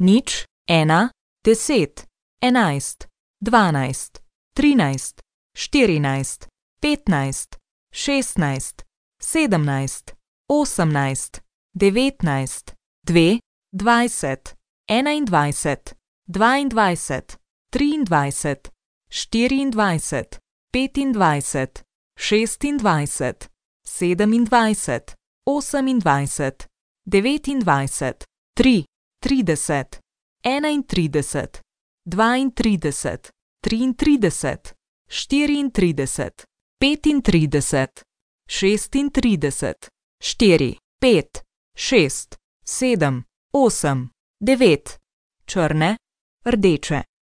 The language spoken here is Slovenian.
nič, 1, 10, 11, 12, 13, 14, 15, 16, 17, 18, 19, 2, 20, 21, 22, 23, 24, 25, 26, 27, 28, 29, 3, 30, 31, 32, 33, 34, 35, 36, 4, 5, 6, 7, 8, 9, črne, rdeče.